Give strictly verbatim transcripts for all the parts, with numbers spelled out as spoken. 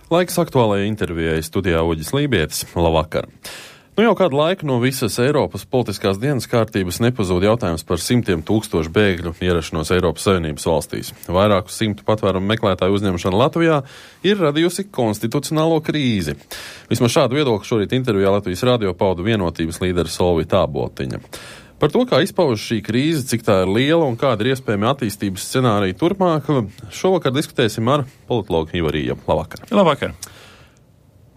Laiks aktuālajai intervijai studijā Uģis Lībietis. Labvakar! Nu jau kādu laiku no visas Eiropas politiskās dienas kārtības nepazūd jautājums par simtiem tūkstošu bēgļu ierašanos Eiropas Savienības valstīs. Vairāku simtu patvērumu meklētāju uzņemšana Latvijā ir radījusi konstitucionālo krīzi. Vismaz šādu viedokli šorīt intervijā Latvijas radio pauda Vienotības līdera Solvita Āboltiņa. Par to, kā izpaužas šī krīze, cik tā ir liela un kāda ir iespējami attīstības scenārija turpmāk, šovakar diskutēsim ar politologu Ivariju. Labvakar! Labvakar!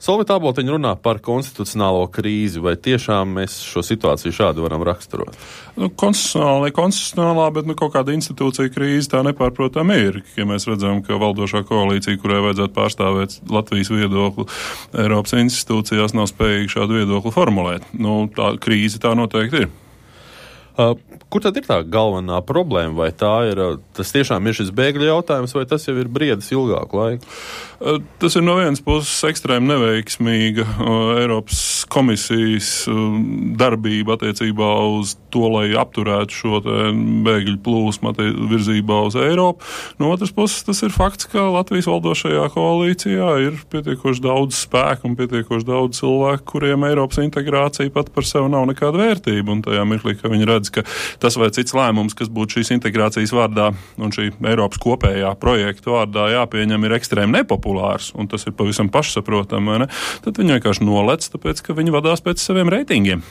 Solvita Āboltiņa runā par konstitucionālo krīzi. Vai tiešām mēs šo situāciju šādi varam raksturot? Nu, konstitucionāli, konstitucionālā, bet nu, kaut kāda institūcija krīze tā nepārprotam ir. Ja mēs redzam, ka valdošā koalīcija, kurai vajadzētu pārstāvēt Latvijas viedokli Eiropas institūcijās, nav spējīga šādu viedokli formulēt. Nu, tā krīze tā noteikti ir. Uh, kur tad ir tā galvenā problēma? Vai tā ir, tas tiešām ir šis bēgļu jautājums, vai tas jau ir briedis ilgāku laiku? Uh, tas ir no vienas puses ekstrēmi neveiksmīga uh, Eiropas komisijas uh, darbība attiecībā uz to, lai apturētu šo bēgļu plūsmu virzībā uz Eiropu. No otras puses tas ir fakts, ka Latvijas valdošajā koalīcijā ir pietiekoši daudz spēku un pietiekoši daudz cilvēku, kuriem Eiropas integrācija pat par sevi nav nekāda vērtība. Un tajā mirklī, ka viņi redz, ka tas vai cits lēmums, kas būtu šīs integrācijas vārdā un šī Eiropas kopējā projekta vārdā jāpieņem, ir ekstrēmi nepopulārs, un tas ir pavisam pašsaprotam, vai ne? Tad viņi vienkārši nolec, tāpēc, ka viņi vadās pēc saviem reitingiem.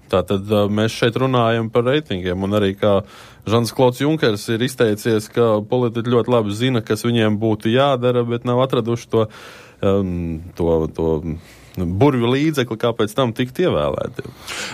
Tātad mēs šeit runājam par reitingiem, un arī kā Žans Klods Junkers ir izteicies, ka politiķi ļoti labi zina, kas viņiem būtu jādara, bet nav atraduši to, um, to, to burvju līdzekli, kāpēc tam tikt ievēlēti.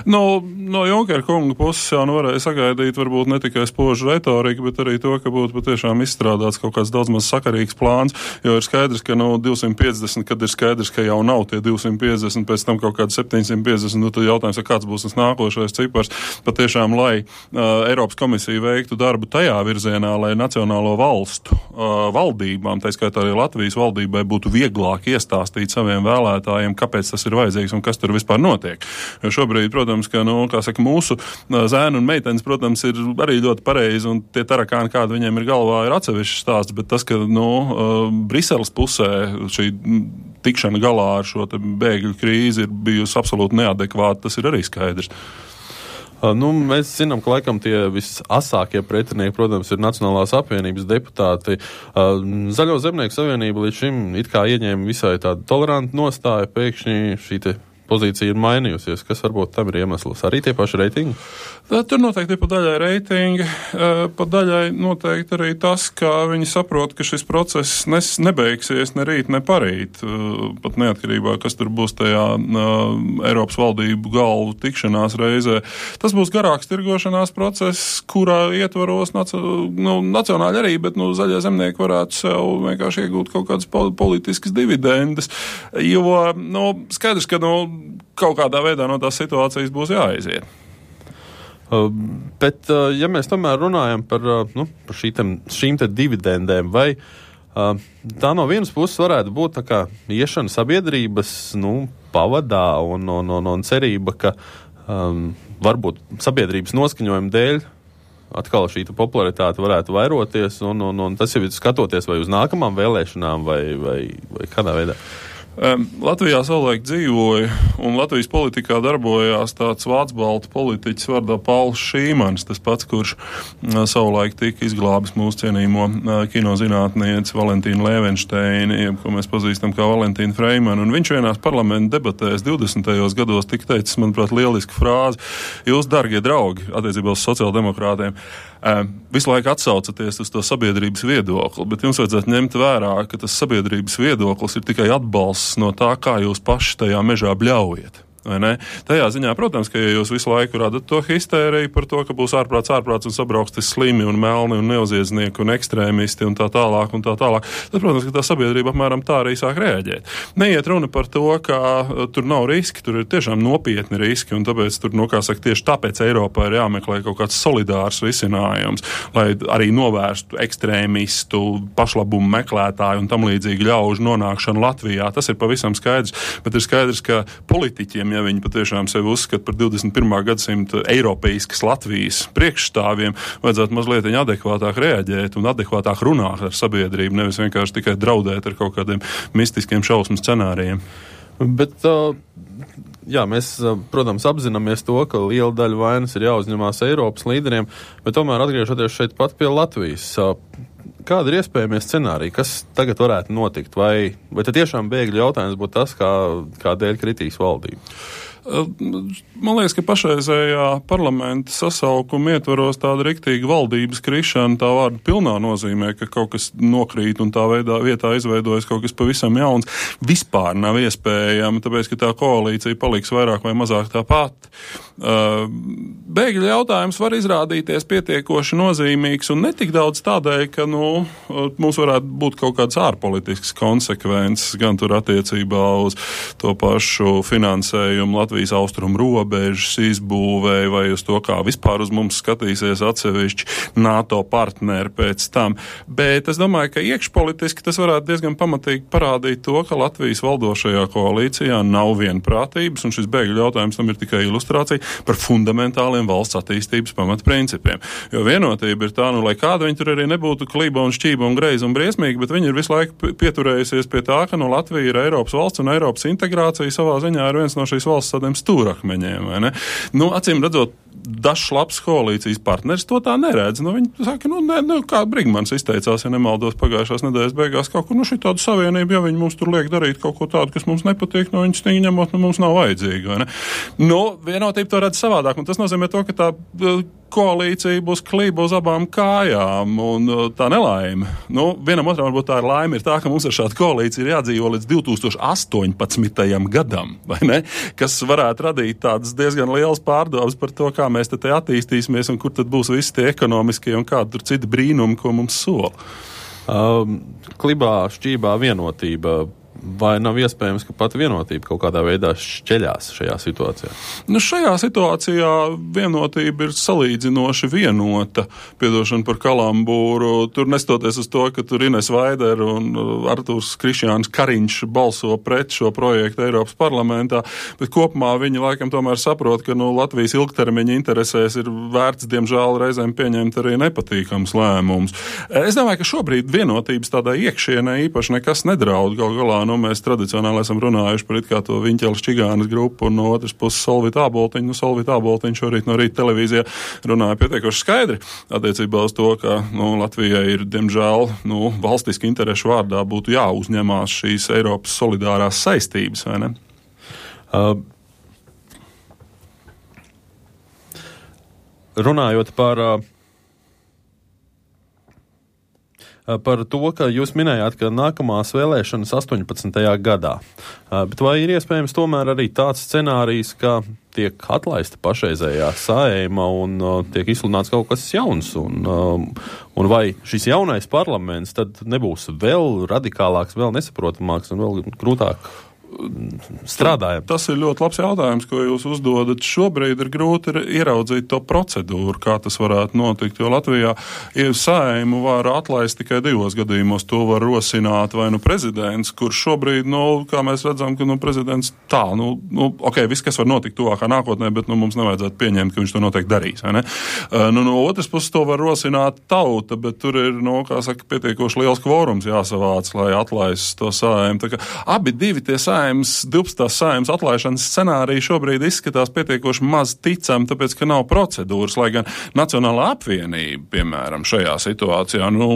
No, no Junkera kunga puses jau nu varēja sagaidīt varbūt ne tikai spožu retoriku, bet arī to, ka būtu patiešām izstrādāts kaut kāds daudz maz sakarīgs plāns, jo ir skaidrs, ka no divsimt piecdesmit, kad ir skaidrs, ka jau nav tie divsimt piecdesmit, pēc tam kaut kāds septiņsimt piecdesmit, nu tad jautājums, kāds būs tas nākošais cipars, patiešām, lai uh, Eiropas komisija veiktu darbu tajā virzienā, lai nacionālo valstu uh, valdībām, tā skaitā arī Latvijas valdībai, būtu vieglāk iestāstīt saviem vēlētājiem, kāpēc tas ir vajadzīgs un kas tur vispār notiek. Jo šobrīd, protams, ka, nu, kā saka, mūsu zēni un meitenes, protams, ir arī ļoti pareizi, un tie tarakāni, kādi viņiem ir galvā, ir atsevišķs stāsts, bet tas, ka, nu, Briseles pusē šī tikšana galā ar šo te bēgļu krīzi ir bijusi absolūti neadekvāta, tas ir arī skaidrs. Nu, mēs zinām, ka laikam tie visasākie pretinieki, protams, ir Nacionālās apvienības deputāti. Zaļo zemnieku savienība līdz šim it kā ieņēma visai tādu tolerantu nostāju, pēkšņi šī te pozīcija ir mainījusies. Kas varbūt tam ir iemesls? Arī tie paši reitingi? Tur noteikti ir pa daļai reitingi, pa daļai noteikti arī tas, ka viņi saprot, ka šis process nes, nebeigsies ne rīt, ne parīt. Pat neatkarībā, kas tur būs tajā Eiropas valdību galvu tikšanās reizē. Tas būs garāks tirgošanās process, kurā ietvaros naci, nu, nacionāļi arī, bet nu, zaļie zemnieki varētu sev vienkārši iegūt kaut kādas politiskas dividendes. Jo nu, skaidrs, ka nu, kaut kādā veidā no tās situācijas būs jāaiziet. Uh, bet, uh, ja mēs tomēr runājam par, uh, nu, par šī te, šīm te dividendēm, vai uh, tā no vienas puses varētu būt tā kā iešana sabiedrības nu, pavadā un, un, un, un cerība, ka um, varbūt sabiedrības noskaņojuma dēļ atkal šī popularitāte varētu vairoties, un, un, un tas jau ir skatoties vai uz nākamām vēlēšanām, vai, vai, vai kādā veidā. Latvijā savulaik dzīvoja un Latvijas politikā darbojās tāds vācu-baltu politiķis vārdā Pauls Šīmans, tas pats, kurš savulaik tika izglābis mūsu cienīmo kinozinātnieci Valentīnu Lēvenšteini, ko mēs pazīstam kā Valentīnu Freimanu, un viņš vienās parlamenta debatēs divdesmitajos gados tika teicis, manuprāt, lielisku frāzi: jūs, dargie draugi, attiecībā uz sociāldemokrātiem, visu laiku atsaucaties uz to sabiedrības viedokli, bet jums vajadzētu ņemt vērā, ka tas sabiedrības viedoklis ir tikai atbalsts no tā, kā jūs paši tajā mežā bļaujat. vai ne? Tajā ziņā, protams, ka ja jūs visu laiku radat to histēriju par to, ka būs ārprāts, ārprāts un sabrauks slimi un melni un neoziedznieki un ekstrēmisti un tā tālāk un tā tālāk, tad, protams, ka tā sabiedrība apmēram tā arī sāk reaģēt. Neiet runa par to, ka tur nav riski, tur ir tiešām nopietni riski, un tāpēc tur, nu, kā saka, tieši tāpēc Eiropā ir jāmeklē kaut kāds solidārs risinājums, lai arī novērstu ekstrēmistu, pašlabumu meklētāju un tam līdzīgi ļaužu nonākšanu Latvijā. Tas ir pavisam skaidrs, bet ir skaidrs, ka politiķiem ja viņi patiešām sevi uzskata par divdesmit pirmā gadsimta eiropeiskas Latvijas priekšstāviem, vajadzētu mazliet adekvātāk reaģēt un adekvātāk runāt ar sabiedrību, nevis vienkārši tikai draudēt ar kaut kādiem mistiskiem šausmu scenārijiem. Bet, jā, mēs, protams, apzināmies to, ka liela daļa vainas ir jāuzņemās Eiropas līderiem, bet tomēr atgriežoties šeit pat pie Latvijas, kāda ir iespējamie scenāriji, kas tagad varētu notikt? Vai, vai tad tiešām bēgļu jautājums būtu tas, kā, kādēļ kritīs valdība? Man liekas, ka pašreizējā parlamenta sasaukuma ietvaros tāda riktīga valdības krišana tā vārda pilnā nozīmē, ka kaut kas nokrīt un tā veidā vietā izveidojas kaut kas pavisam jauns, vispār nav iespējama, tāpēc, ka tā koalīcija paliks vairāk vai mazāk tā pati. Bēgļu jautājums var izrādīties pietiekoši nozīmīgs un netik daudz tādēļ, ka, nu, mums varētu būt kaut kāds ārpolitisks konsekvences, gan tur attiecībā uz to pašu finansējumu Latvijas austrumu robežas izbūvēja vai uz to, kā vispār uz mums skatīsies atsevišķi NATO partneri pēc tam. Bet es domāju, ka iekšpolitiski tas varētu diezgan pamatīgi parādīt to, ka Latvijas valdošajā koalīcijā nav vienprātības, un šis bēgļu jautājums tam ir tikai ilustrācija par fundamentāliem valsts attīstības pamatprincipiem. Jo vienotība ir tā, nu, lai kāda viņi tur arī nebūtu klība un šķība un greiza un briesmīga, bet viņi ir visu laiku pieturējusies pie tā, ka no Latvija ir Eiropas valsts un Eiropas integrācija savā ziņā ir viens no šīs valsts tādiem stūrakmeņiem, vai ne? Nu, acīm redzot, dažs labs koalīcijas partneris to tā neredz. Nu, viņi saka, nu, ne, nu, kā Brigmans izteicās, ja nemaldos pagājušās nedēļas beigās, kaut kur, nu, šī tāda savienība, ja viņi mums tur liek darīt kaut ko tādu, kas mums nepatīk, nu, viņi stingri ņemot, nu, mums nav vajadzīgi, vai ne? Nu, vienotība to redz savādāk, un tas nozīmē to, ka tā koalīcija būs klība uz abām kājām, un tā nelaime. Nu, vienam otram varbūt tā ir laime, ir tā, ka mums ar šādu koalīciju ir jādzīvo līdz divi tūkstoši astoņpadsmitajam gadam, vai ne? Kas varētu radīt tādas diezgan lielas pārdomas par to, kā mēs te attīstīsimies un kur tad būs visi tie ekonomiskie un kādi tur citi brīnumi, ko mums sola. Um, klibā, šķībā vienotība. Vai nav iespējams, ka pat vienotība kaut kādā veidā šķeļās šajā situācijā? Nu, šajā situācijā vienotība ir salīdzinoši vienota. Piedošana par kalambūru. Tur nestoties uz to, ka tur Ines Vaider un Artūrs Krišjāns Kariņš balso pret šo projektu Eiropas parlamentā, bet kopumā viņi laikam tomēr saprot, ka nu, Latvijas ilgtermiņa interesēs ir vērts, diemžēl, reizēm pieņemt arī nepatīkams lēmums. Es domāju, ka šobrīd vienotības tādā iekšienē īpaši nekas nedraud. Gal galā nu, mēs tradicionāli esam runājuši par it kā to Viņķeles Čigānas grupu un no otras puses Solvita Āboltiņu. Nu, Solvita Āboltiņu šorīt no rīta televīzijā runāja pietiekoši skaidri attiecībā uz to, ka nu, Latvijai ir, diemžēl, nu, valstiski interešu vārdā būtu jāuzņemās šīs Eiropas solidārās saistības, vai ne? Uh, runājot par uh, par to, ka jūs minējāt, ka nākamās vēlēšanas astoņpadsmitajā gadā. Bet vai ir iespējams tomēr arī tāds scenārijs, ka tiek atlaista pašreizējā Saeima un uh, tiek izsludināts kaut kas jauns? Un, uh, un vai šis jaunais parlaments tad nebūs vēl radikālāks, vēl nesaprotamāks un vēl grūtāk strādājam? Tas ir ļoti labs jautājums, ko jūs uzdodat. Šobrīd ir grūti ieraudzīt to procedūru, kā tas varētu notikt, jo Latvijā Saeimu var atlaist tikai divos gadījumos. To var rosināt vai nu prezidents, kurš šobrīd, nu, kā mēs redzam, ka nu, prezidents tā, nu, nu, ok, viss, kas var notikt tuvākā nākotnē, bet nu, mums nevajadzētu pieņemt, ka viņš to noteikti darīs. Vai ne? Uh, nu, no otras puses to var rosināt tauta, bet tur ir, nu, kā saka, pietiekoši liels kvorums jāsavāc, lai atlaists to Saeimu. Tā kā abi divi tie Saeimu divpadsmitās Saeimas atlaišanas scenārija šobrīd izskatās pietiekoši maz ticam, tāpēc, ka nav procedūras, lai gan Nacionālā apvienība, piemēram, šajā situācijā, nu,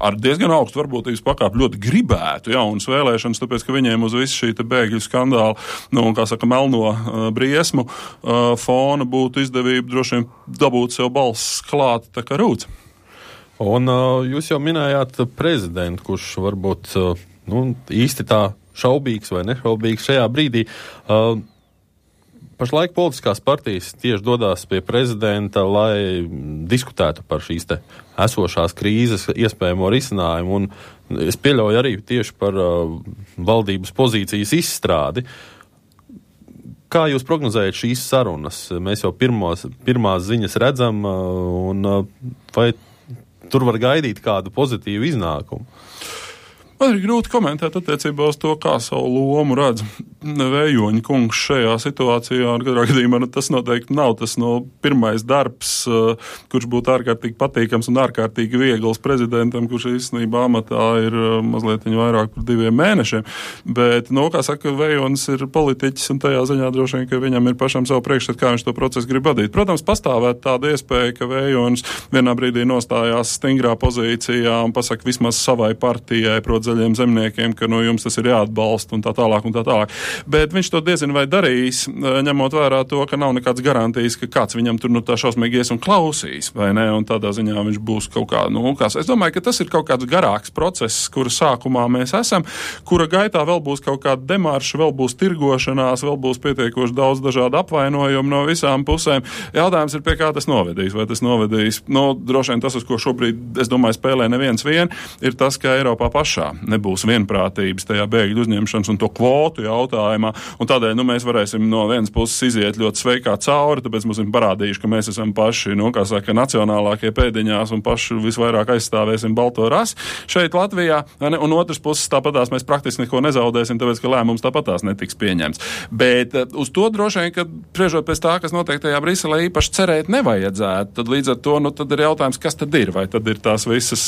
ar diezgan augstu varbūtības pakāpi ļoti gribētu jaunas vēlēšanas, tāpēc, ka viņiem uz visu šī te bēgļu skandālu, nu, kā saka, melno uh, briesmu uh, fona būtu izdevība droši vien dabūt sev balss klāt, tā kā rūts. Un uh, jūs jau minējāt prezidentu, kurš varbūt uh, nu, īsti tā šaubīgs vai nešaubīgs šajā brīdī. Uh, pašlaik politiskās partijas tieši dodās pie prezidenta, lai diskutētu par šīs te esošās krīzes iespējamo risinājumu, un es pieļauju arī tieši par uh, valdības pozīcijas izstrādi. Kā jūs prognozējat šīs sarunas? Mēs jau pirmos, pirmās ziņas redzam, uh, un uh, vai tur var gaidīt kādu pozitīvu iznākumu? Man ir grūti komentēt attiecībā uz to, kā savu lomu redz Vējoņa kungs šajā situācijā, un katrā gadījumā nu, tas noteikti nav tas no pirmais darbs, uh, kurš būtu ārkārtīgi patīkams un ārkārtīgi viegls prezidentam, kurš īstenībā amatā ir uh, mazliet vairāk par diviem mēnešiem. Bet, nu, kā saka, Vējonis ir politiķis, un tajā ziņā droši vien, ka viņam ir pašam savu priekšstat, kā viņš to procesu grib vadīt. Protams, pastāvēt tāda iespēja, ka Vējonis vienā brīdī nostājās stingrā pozīcijā un pasaka vismaz savai partijai, prot zaļiem zemniekiem, ka nu, jums tas ir jāatbalsta un tā tālāk un tā tālāk. Bet viņš to diezin vai darīs, ņemot vērā to, ka nav nekāds garantijas, ka kāds viņam tur nu tā šausmīgi ies un klausīs, vai ne, un tādā ziņā viņš būs kaut kā, nu, kas. Es domāju, ka tas ir kaut kāds garāks process, kura sākumā mēs esam, kura gaitā vēl būs kaut kāda demarša, vēl būs tirgošanās, vēl būs pietiekoši daudz dažādu apvainojumu no visām pusēm. Jautājums ir, pie kā tas novedīs. Vai tas novedīs, nu, droši vien tas, uz ko šobrīd, es domāju, spēlē neviens vien, ir tas, ka Eiropā pašā nebūs vienprātības tajā bēgļu uzņemšanas un to kvotu jautājumā, un tādēļ, nu, mēs varēsim no vienas puses iziet ļoti sveikā cauri, tāpēc mums ir parādījuši, ka mēs esam paši, nu, kā saka, nacionālākie pēdiņās un paši visvairāk aizstāvēsim balto rasi šeit Latvijā, un otras puses tāpatās mēs praktiski neko nezaudēsim, tāpēc, ka lēmums tāpatās netiks pieņemts. Bet uz to droši vien, ka priežot pēc tā, kas notiek tajā Briselē, īpaši cerēt nevajadzētu. Tad līdz ar to, nu, tad ir jautājums, kas tad ir? Vai tad ir tās visas,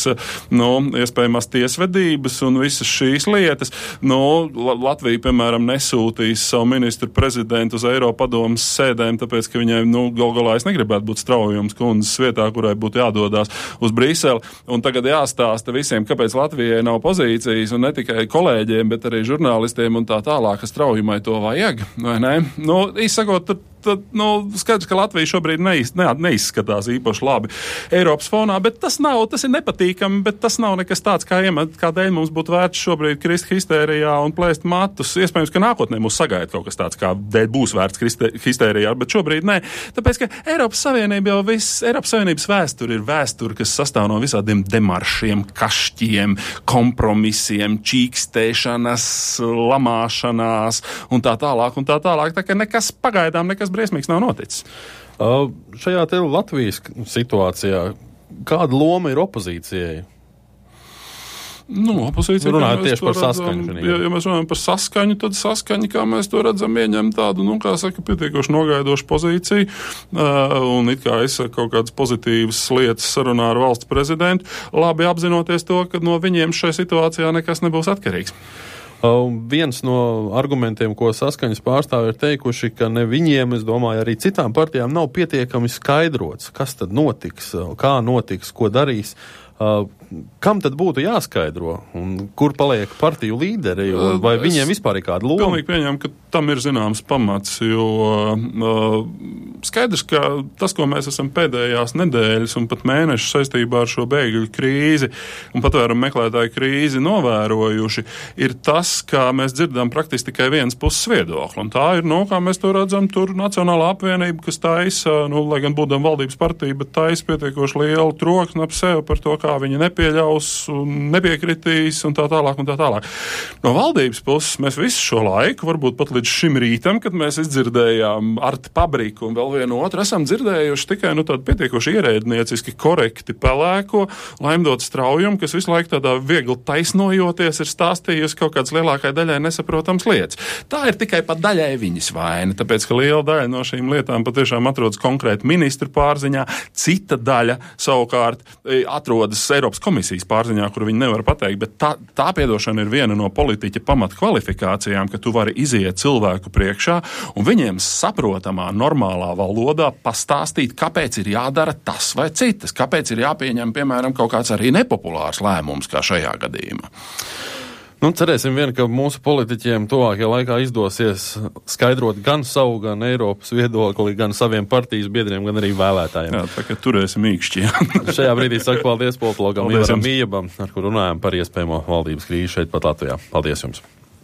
nu, iespējamās tiesvedības un visas šīs lietas? Nu, Latvija, piemēram, nesūtīs savu ministru prezidentu uz Eiropadomes sēdēm, tāpēc, ka viņai, nu, gal galā es negribētu būt Straujums kundzes vietā, kurai būtu jādodās uz Briseli. Un tagad jāstāsta visiem, kāpēc Latvijai nav pozīcijas, un ne tikai kolēģiem, bet arī žurnālistiem un tā tālāk, ka Straujumai to vajag, vai ne? Nu, izsakot, tad, tad, nu, skaidrs, ka Latvija šobrīd neiz, ne, neizskatās īpaši labi Eiropas fonā, bet tas nav, tas ir nepatīkami, bet tas nav nekas tāds, kā iemet, kādēļ mums būtu vērts šobrīd krist histērijā un plēst matus. Iespējams, ka nākotnē mūs sagaida kaut kas tāds, kādēļ būs vērts krist histērijā, bet šobrīd nē. Tāpēc, ka Eiropas Savienība jau viss, Eiropas Savienības vēsture ir vēsture, kas sastāv no visādiem demaršiem, kašķiem, kompromisiem, čīkstēšanas, lamāšanās un tā tālāk un tā tālāk. Tā kā nekas pagaidām, nekas briesmīgs nav noticis. Uh, šajā te Latvijas situācijā kāda loma ir opozīcijai? Nu, opozīcija, runājot tieši par redzam, saskaņu. Ja, ja mēs runājam par saskaņu, tad saskaņa, kā mēs to redzam, ieņem tādu, nu, kā saka, pietiekoši nogaidošu pozīciju, uh, un it kā izsaka kaut kādas pozitīvas lietas sarunā ar valsts prezidentu, labi apzinoties to, ka no viņiem šai situācijā nekas nebūs atkarīgs. Uh, viens no argumentiem, ko saskaņas pārstāvi ir teikuši, ka ne viņiem, es domāju, arī citām partijām nav pietiekami skaidrots, kas tad notiks, kā notiks, ko darīs. Uh, kam tad būtu jāskaidro? Un kur paliek partiju līderi? Vai es viņiem vispār ir kāda loma? Pilnīgi pieņem, ka tam ir zināms pamats, jo uh, skaidrs, ka tas, ko mēs esam pēdējās nedēļas un pat mēnešus saistībā ar šo bēgļu krīzi un patvērumu meklētāju krīzi novērojuši, ir tas, ka mēs dzirdam praktiski tikai viens puses viedokli. Un tā ir, nu, kā mēs to redzam, tur Nacionālā apvienība, kas taisa, nu, lai gan būdam valdības partija, bet taisa pietiekoši lielu troksni ap sevi par to, kā viņi nepieļaus un nepiekritīs un tā tālāk un tā tālāk. No valdības puses mēs visu šo laiku, varbūt pat līdz šim rītam, kad mēs izdzirdējām Arti Pabriku un vēl vienu otru, esam dzirdējuši tikai, nu, tādu pietiekoši ierēdnieciski korekti pelēko Laimdot Straujumu, kas visu laiku tādā viegli taisnojoties ir stāstījusi kaut kādas lielākai daļai nesaprotams lietas. Tā ir tikai pat daļai viņas vaina, tāpēc, ka liela daļa no šīm lietām patiešām atrodas konkrēti ministru pārziņā, cita daļa savukārt atrodas Eiropas komisijas pārziņā, kur viņi nevar pateikt, bet tā, tā piedošana ir viena no politiķa pamatkvalifikācijām, ka tu vari iziet cilvēku priekšā un viņiem saprotamā, normālā valodā pastāstīt, kāpēc ir jādara tas vai citas, kāpēc ir jāpieņem, piemēram, kaut kāds arī nepopulārs lēmums, kā šajā gadījumā. Nu, cerēsim vien, ka mūsu politiķiem tuvākajā laikā izdosies skaidrot gan savu, gan Eiropas viedokli, gan saviem partijas biedriem, gan arī vēlētājiem. Jā, tā kā turēsim īkšķi. Šajā brīdī saku paldies politologam Ivaram Mījabam, ar kuru runājam par iespējamo valdības krīzi šeit pat Latvijā. Paldies jums!